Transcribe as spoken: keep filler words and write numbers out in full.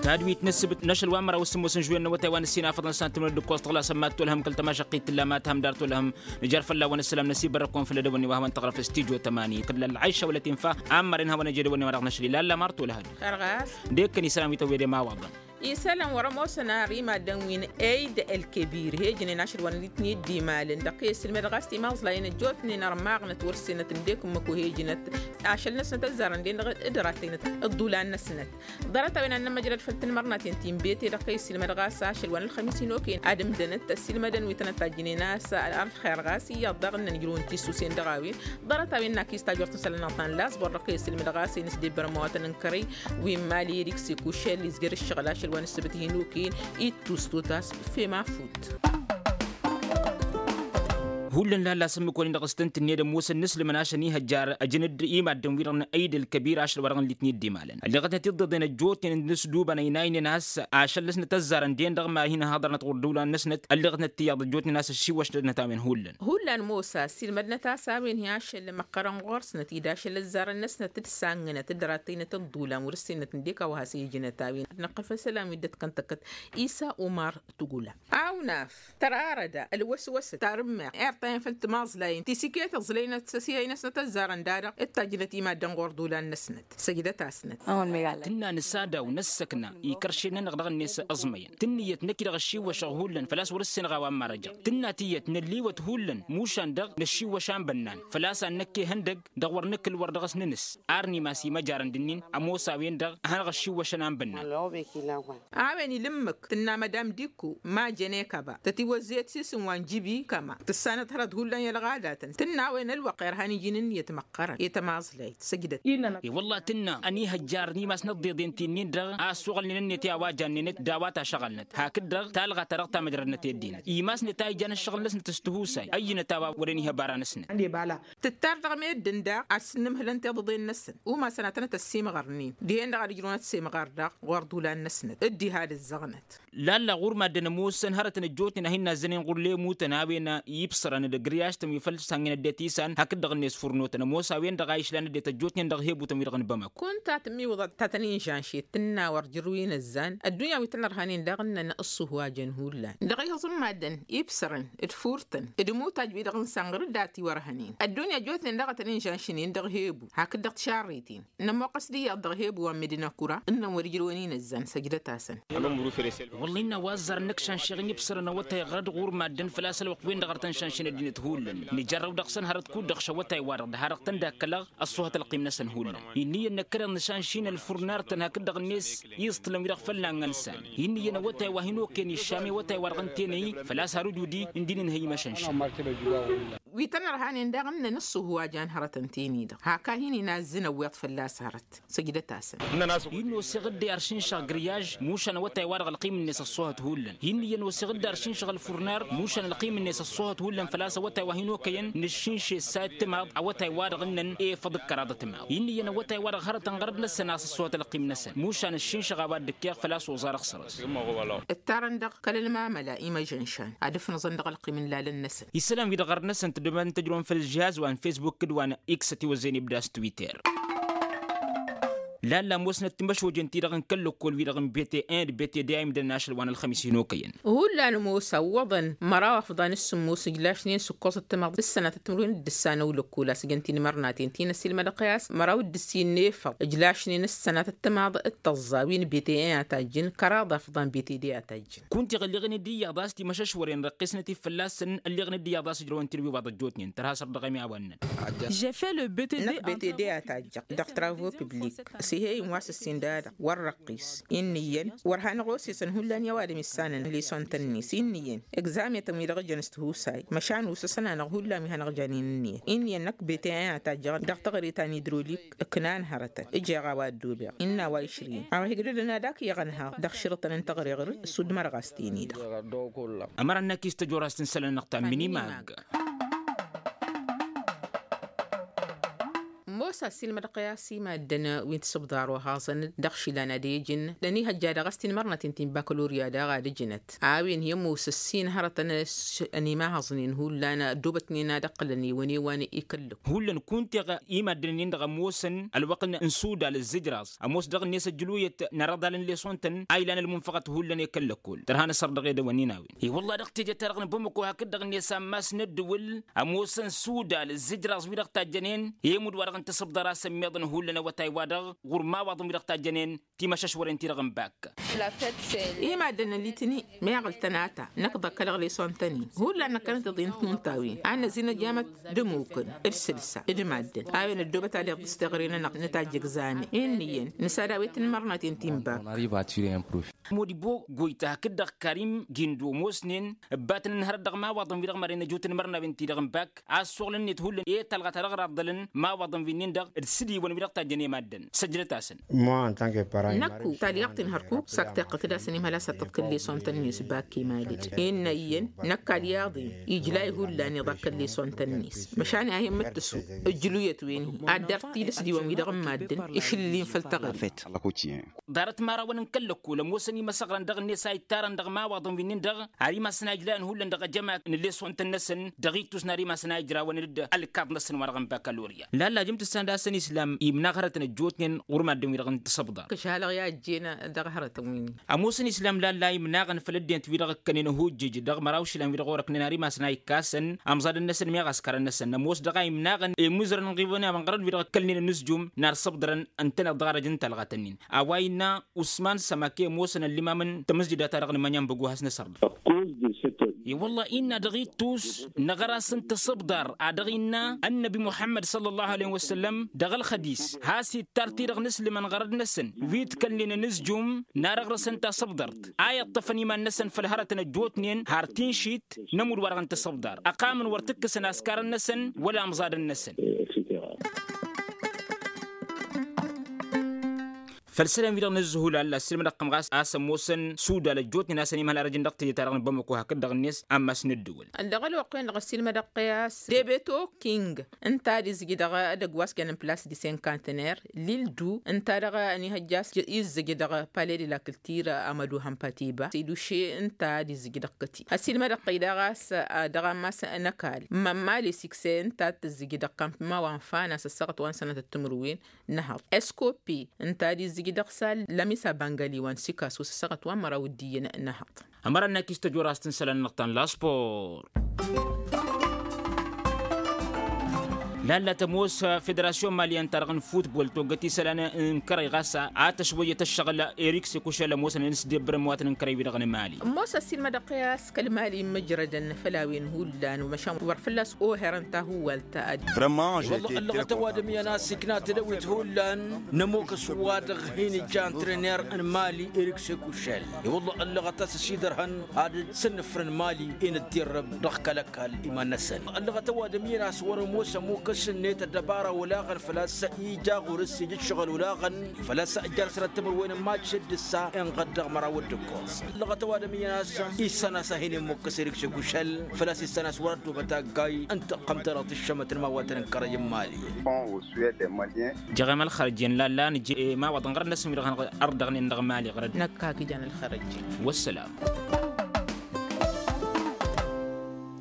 Tadwit n-ǝssǝbǝt n-ašăl wa n-măraw s-sǝmmos n-žuwen n-awătay wa n-ǝssin afăḍăn s-an tǝmnăd d-ǝkkoẓ tăɣlasăn mad-tolhăm kăl-tămašăqqit tǝlla ma tǝhăm dar tolhăm. Nǝjar fălla-wen ǝssǝlam năsibbărăkon făll-edăwănni wa hawăn-tăɣrăf s-tijo tămani kăl-ălɣayša wăla tinfa. Ammăren hawăn-ejădăwănni wa dăɣ-năšli lalla mar tolhăd. Ărɣas. Dekăn isălan wi tăwwede ma waḍăn. Isălan wăr-ămoosăn ar imaddăn wi n-eid ălkebir he-ǝjnen ašăl wa n-ăddinăt n-dd-imalăn dăɣ-kăy-ăssilmădăɣ a-s timazlayen ăjjootnen ărmaɣnăt wăr-sǝnnăt ǝndek ǝmmǝk wa he-ǝjnăt. Ašăl-năsnăt ăzzarăn-den dăɣ-dd-rattăynăt ǝḍḍulan-năsnăt. Ḍarăt-a-wen ad-nămmăjrăd făll-tanmărnaten ti n-bete dăɣ-kăy-ăssilmădăɣ a-s ašăl wa n-ălxămis hin-okăyăn ad-ǝmdănăt ăssilmădăn wi tănăt-tajjǝnen a-s ălxer ɣas iyyăḍ daɣ ǝnnăn ǝjrǝwăn tisusen dăɣ-a-wen. Ḍarăt-a-wen n-akis tajort n-isălan n-aḍnan lasbor dăɣ-kăy-ăssilmădăɣ a-s inǝsdebbărăm awătăn n-kărăy wi n-imali erik s-ikušel izgăr ǝššăɣǝl ašăl wa n-ǝssǝbǝt hin-okăyăn ittus totas fem afut. Hullan lalla s-ǝmmǝk-wăn-in dăɣ-s tăn-tǝnned ămoosăn n-aslǝmăn ašăn ihăjjar ăjăn-dd imaddǝn-wi-dăɣ n-ăyd ălkăbir ašăl wa dăɣ-nǝllit n-dd-imalăn ălleɣătnăt iḍḍeḍen ăjjootnen n-ǝsdubăn ăynaynen a-s ašăl-năsnăt ăzzarăn-den dăɣ-ma hin-ăhaḍărnăt ɣur-dd ula-năsnăt ălleɣătnăt tiyyăḍ ăjjootnen a-s ăššiwwăšnăt-năt a-wen hullan. Hullan mosa ăssiilmădnăt a-s a-wen hi-ašăl măqqărăn ɣur-snăt-dd ašăl ăzzarăn-năsnăt d-sangnăt d-rattăynăt ăḍḍulan wăr-ǝssinăt ǝndek a-wa has-ijnăt a-wen ad-năqqăl făll-isălan wi dd-ătkăntăkkăt. Isa umar tugula awnaf tărarăda ălwăswăsăt tarǝmmeɣt irtayăn făll-timaẓlayen ti s-iket ăẓlăynăt s-ăsihăy-năsnăt ăzzarăn-da-dăɣ d-tajjnăt imaddăn ɣur-dd ulan-năsnăt. Săjdăt-asnăt. Tǝnna nǝsadaw năssăkna ikăršen-nănăɣ dăɣ-net ăẓmăyăn tǝnnǝyăt năkk-i-dăɣ ăššiwwăšăɣ hullan făl-a-s wăr-ǝssenăɣ a-wa n-marăjăɣ tǝnna tiyyăt nălliwăt hullan mušan-dăɣ năššiwwăš a n-bănnan făl-a-s ad-năkk ehăndăg dăɣ-wăr nǝkǝl wăr dăɣ-s nǝnǝs. Ar n-imas imăjarăn d-ǝnnin ămoos a-wen-dăɣ a hanăɣ-ăššiwwăšăn a n-bănnan. A-wen ila ǝmmǝk tǝnna madam dikko ma jăne kăba tătiwăzzeyăt s-isǝm wa n-jibi kăma tǝssanăt hărăt hullan i-ălɣadatăn tǝnna a-wen ălwăqq irhan iji n-ǝnniyăt măqqărăn i-tămaẓlayt săjdăt. I-wălla tǝnna ănihăjjar n-imas n-ăḍḍeḍen ti-nin-dăɣ a ăssuɣălnen ǝnniyăt i-a-wa jannen-net d-a-wa tašăɣălnăt hakd-dăɣ talɣa-ta-dăɣ tamăjrădnăt i-ăddinăt imasnet a ijan ăššăɣǝl-năsnăt s-tihusay ăyyǝnăt a-wa wăren iha bara-năsnăt. Tǝttar dăɣ-meddǝn daɣ ad-sǝnnǝmhǝlăn tiḍǝḍen-năsăn umasăn ad-tănăt-ăssimɣărnen dihen-dăɣ ad-ǝjrǝwăn ad-semɣar daɣ ɣur-dd ulan-năsnăt dd-iha d-ǝzzăɣnăt. Lalla ɣur-maddǝn ămoosăn hărătăn ăjjootnen a hin-nazzănen ɣur-lemutăn a-wen ibsărăn d-agriyaš-tăn wi făl sangǝn ăddinăt isan hakd-dăɣ-net furnotăn ămoos a-wen-dăɣ a išlan ăddinăt ăjjootnen dăɣ-hebutăn wi-dăɣ n-bamako. Kunta tǝmmiwǝḍăt ta tăn-inžănšet tǝnna wăr jăr wi n-ăzzan ăddunya wi tăn-ărhănen daɣ ǝnnăn ǝṣṣuhwajăn hullan dăɣ-ihǝẓ n-maddǝn ibsărăn d-furtăn d-imutaj wi-dăɣ n-sănɣăr d-ati wăr hănen ăddunya ăjjootnen daɣ a tăn-inžănšnen dăɣ-hebu hakd dăɣ-tišarriten. Nămoqqăs d-iyyăḍ dăɣ-hebu wa n-medina kura ǝnnăn wăr-ijrăwăn-in ăzzan săjdăt-asăn. Wălla innă wa ăzzarăn năkk šanšeɣ n-ibsărăn awătay ɣărăt ɣur-maddǝn făl-a-s ălwăqq-wen-dăɣ ar tăn-šanšen ăddinăt hullan nǝjărrăw dăɣ-săn hărăt kud-dăɣ šăwătay-wa-dăɣ d-ha-dăɣ tăn-dd-akkălăɣ ăṣṣuhăt ălqim-năsăn hullan. Inn'-iyyăn năkkăneḍ nǝšanšin ălfurnartăn hakd-dăɣ-net iẓtǝlăn wi-dăɣ fălla n-ănsan. Inn'-iyyăn awătay wa hin-okăyăn iššam i-awătay-wa-dăɣ ǝnta enăy făl-a-s har ǝjudi ǝndin ǝnhăy imăšănšan. Wi tăn-ărhanen daɣ ǝnnăn ǝṣṣuhu wa jan hărătăn-ten-i-dăɣ hak'-a hin-inazzǝn ăwweḍ fălla-s hărăt. Săjdăt-asăn. Hin-oseɣ dd-aršǝnšăɣ gǝryaž mušan awătay-wa-dăɣ ălqim-net ăṣṣuhăt hullan hin'-iyyăn oseɣ dd-aršǝnšăɣ ălfurnar mušan ălqim-net ăṣṣuhăt hullan făl-a-s awătay wa hin-okăyăn nǝššǝnšes sa d-timaḍ awătay-wa-dăɣ ǝnnăn efăḍ d-kăraḍ ătimaḍ hin'-iyyăn awătay-wa-dăɣ hărătăn ɣărăt-năsăn a-s ăṣṣuhăt ălqim-năsăn mušan ǝššǝnšăɣ a-wa dd-ǝkkeɣ făl-a-s oẓar ăxsărăs. Ǝttarăn dăɣ-kăl-ălmamăla imăžănšan ad-ǝfnǝẓăn dăɣ-ălqim n-lalăn-năsăn. Isălan-wi-dăɣ ɣărăt-năsăn tǝddǝbăn tăjrăwăn făll-žihaz wa n-fesbuk d-wa n-iks ătiwăzzăyăn ibda s-twitter. Lalla ămoosnăt timăšojen-ti-dăɣ n-kăl-lăkkol-wi-dăɣ n-bete en d-bete de a imdănăn ašăl wa n-ălxămis hin-okăyăn. Hullan ămoos ăwwăḍăn măraw afḍan s-sǝmmos ǝjlašnen s-ǝkkoẓ ăttămaḍ d-ǝssănat ăttămrǝwen d-ǝssan ăwlăkkol a-s ǝjăn tinmărnaten ti n-ăssiilmădăɣ i-a-s măraw d-ǝssin n-efăḍ ǝjlašnen s-sănat ăttămaḍ d-tăẓẓa wi n-bete en a tajjǝn kăraḍ afḍan bete de a tajjǝn. Kunta iɣ ălleɣnen d-iyyăḍ a-s timăšăšwăren răqqisnăt-dd fălla-săn ălleɣnen d-iyyăḍ a-s ǝjrăwăn-ten wi iwaḍ ăjjootnen tărha săr dăɣ-ămiawăn-nănăɣ. Năkk bete de a tajjăɣ dăɣ-travaux public s-ehe-in wa s-ǝssin dada wăr răqqis. Inn'-iyyăn wăr hanăɣ-osesăn hullan i-ăwadǝm issanăn lisont-net inn'-iyyăn egzametăn wi-dăɣ ǝjăn s-tihusay măšan usăsăn-anăɣ hullan wi hanăɣ-janen ǝnniyăt inn'-iyyăn năkk bete a tajjăɣ dăɣ-taɣrit ta n-idrolik. Ǝknan hărătăn ǝjeɣ a-wa ăddobeɣ innă a-wa išrǝyăn a-wa higdădăn ad-ak iyyăɣ ănhăɣ dăɣ-išrǝtăn n-taɣreɣrǝd s-udd mărɣas-ten-i-dăɣ. Ămăra n-akis tăjorast n-isălan-năɣ ta n-mini mag. Ăsassin mădăqqăy a-s i-maddăn wi n-tisǝbḍar wa haẓăn dăɣ-išilan ad-ejǝn d-ănihăjja dăɣ-s tinmărnăten ti n-bakalorya daɣ ad-ǝjǝnăt a-wen hi-ămoos ǝssin hărătăn ănimahaẓnen hullan ăddoobătnen ad-ǝqqǝlăn i-wăn i-wa n-ikǝllǝk. Hullan kunta i-maddăn-nin-dăɣ ămoosăn ălwăqq n-sudal ǝzzǝjraẓ ămoos dăɣ-net ăjjǝluyăt n-arăḍal n-lesonten a ilan ălmunfăɣăt hullan i-kăl-lăkkol tărha n-asăr dăɣ-edăwănnin a-wen. I-wălla dăɣ-teje-ta-dăɣ n-bamăko hakd-dăɣ-net ammas n-ăddǝwǝl ămoosăn sudal ǝzzǝjraẓ wi-dăɣ tajjănen i-imudd wa-dăɣ n-tisǝbḍar a-s ămmiḍăn hullan awătay-wa-dăɣ ɣur-imawaḍăn wi-dăɣ tajjănen timăšăšwăren-ti-dăɣ n-bak. I-maddăn n-litini meɣ ǝltănata năkk ḍăkkălăɣ lesonten-in hullan năkkănăt iḍinăt n-unta a-wen ad-năzin ăjamăt d-ămukǝn d-sǝlsa d-maddǝn a-wen ăddoobăt ad-iḍǝs teɣre-nănăɣ nǝtajj egzame. Inn'-iyyăn nǝsad a-wen tǝnmărnaten ti n-bak. Modibo goyta hakd-dăɣ karim gindo ămoosnen ǝbbatăn ǝnhărăt dăɣ-imawaḍăn-wi-dăɣ maren ăjo tǝnmărnawen-ti-dăɣ n-bak a ăssoɣlăn-net hullan i-talɣa ta dăɣ-raḍḍălăn imawaḍăn-wi-nin-dăɣ d-sǝdiwăn-wi-dăɣ tajjăn i-maddăn. Săjdăt-asăn. Năkku talyaḍt-in hărkuk s-ak tiqqǝkd-asăn imhăl a-s ăṭṭăḍkǝl lesonten-net bak imaled. Innă iyyăn năkk alyaḍ-in ijlay hullan iḍakkăl lesonten-net măšan a hin-mǝttǝsu ǝjluyăt-wen-hi ad-dăr-t-dd-ăsdiwăn-wi-dăɣ n-maddǝn išǝllǝlin făll-taɣăre. Ḍarăt imărawăn n-kăl-lăkkol ămoosăn imăsăɣrăn dăɣ-net a ittarăn dăɣ-imawaḍăn-wi-nin-dăɣ har imasăn a ijlayăn hullan dăɣ-ejămak n-lesonten-năsăn dăɣ-ittus n-har imasăn a ijrawăn-dd ălkaḍ-năsăn wa-dăɣ n-bakalorya. Lalla jăm-tǝssan d-asăn islam imnaɣ hărătăn ăjjootnen ɣur-maddǝn-wi-dăɣ n-tisǝbḍar. Kăš-alăɣ i-ajjen dăɣ-hărătăn-win. Ămoosăn islam lalla imnaɣăn făll-ăddinăt-wi-dăɣ ǝkkănen ăhujjǝj dăɣ-mărawšǝlan-wi-dăɣ orăknen har imasăn a ikkasăn amẓadăn-năsăn meɣ askărăn-năsăn ămoos dăɣ-a imnaɣăn i-imuzărăn ɣivăn i-amănɣărăn-wi-dăɣ ǝkkălnen ănǝzjum n-ar săbḍărăn ǝntăneḍ dăɣ-arăj n-talɣat-nin. A-wa innă usman sămake ămoosăn ăllimam n-tamǝzjǝda-ta-dăɣ n-imănyan băgu has-năsăr. I-wălla innă dăɣ-ittus năɣăr-asăn tasǝbḍar a dăɣ-innă ănnăbi muḥămmăd sălla allahu aleyh wăssăllăm dăɣ-ălxădis has-ittar-t-i-dăɣ n-aslǝmăn ɣărăd-năsăn wi ǝdkălnen ănǝzjum n-ad-ăɣrăsăn tasǝbḍărt a iṭṭăfăn iman-năsăn făll-hărătăn ăjjootnen har tinšit n-ămudd wa-dăɣ n-tasǝbḍar ăqqamăn wăr t-ǝkkǝsăn askarăn-năsăn wăla amẓadăn-năsăn. Făll-isălan-wi-dăɣ n-ǝzzǝhulal ăssiilmădăɣ kăm ɣas a-s ămoosăn sudal ăjjootnen a-s ănimhăl arăj-in dăɣ-teje-ta-dăɣ n-bamăko hakd-dăɣ-net ammas n-ǝddǝwǝl. Ălleɣ ălwăqq-wen-dăɣ ăssiilmădăɣ-t i-a-s debeto king ǝnta ad-izǝj dăɣ-edăgg wa s-jănăn plas disenkantner lildu ǝnta dăɣ-ănihăjja a-s izzǝj dăɣ-pale de la kǝltir amădu hămpatiba s-iduše ǝnta ad-izǝj dăɣ-kăti. Ăssiilmădăɣ-t-i daɣ a-s dăɣ-ammas n-ăkall mămmali sikse ǝnta ad-tǝzzǝj dăɣ-kampima wa n-fana s-ăssaɣăt wa n-sănătăt timǝrwen n-ehăḍ eskopi ǝnta ad-izzǝj dăɣ-sal lămisa băngăli wa n-sikasu s-ăssaɣăt wa n-măraw d-iyyăn n-ehăḍ. Ămăra n-akis tăjorrast n-isălan-năɣ ta n-laspor. Lalla tămoos federasyon maliyăn-ta-dăɣ n-futbol toggăt isălan n-kărăy ɣas a tăšwăyyăt ăššăɣǝl erik sekušel ămoosăn n-s debbărăn măwatăn n-kărăy-wi-dăɣ n-mali. Ămoos ăssiilmădăɣ-t i-a-s kăl-mali n-imǝjrădăn făll-a-wen hullan măšan wăr fălla-s oherăn tahuwalt. Ad-wălla ăllăɣăt ăwadǝm iyyăn a-s ikna tedăwit hullan n-ămokăs wa-dăɣ hin-ija antrener n-mali erik sekušel. I-wălla ăllăɣăt a-s ăsidărhăn ad-sănnăfrăn mali i-nǝddirrăb dăɣ-kăl-ăkall iman-năsăn. Ăllăɣăt ăwadǝm iyyăn a-s wăr-ămoos ămokăs-net ăddăbara olaɣăn făl-a-s ija ɣur-s ija ǝššăɣǝl olaɣăn făl-a-s ǝjjăr sănăt timǝrwen n-mac s-dd-ǝssa inɣăt dăɣ-măraw d-ǝkkoẓ. Ăllăɣăt ăwadǝm iyyăn a-s issan a-s a hin-immokkăs erik sekušel făl-a-s issan a-s wăr-ăddobăt aggay n-taqqămt-ta-dăɣ tǝššămăt n-imawaten n-kărăy n-mali. Jeɣem ălxărjen lalla nǝje imawaḍăn ɣărăt-năsăn wi-dăɣ hanăɣ-ărdăɣnen dăɣ-mali ɣărăt. Năkk hak ijan ălxărjen. Wăssălam.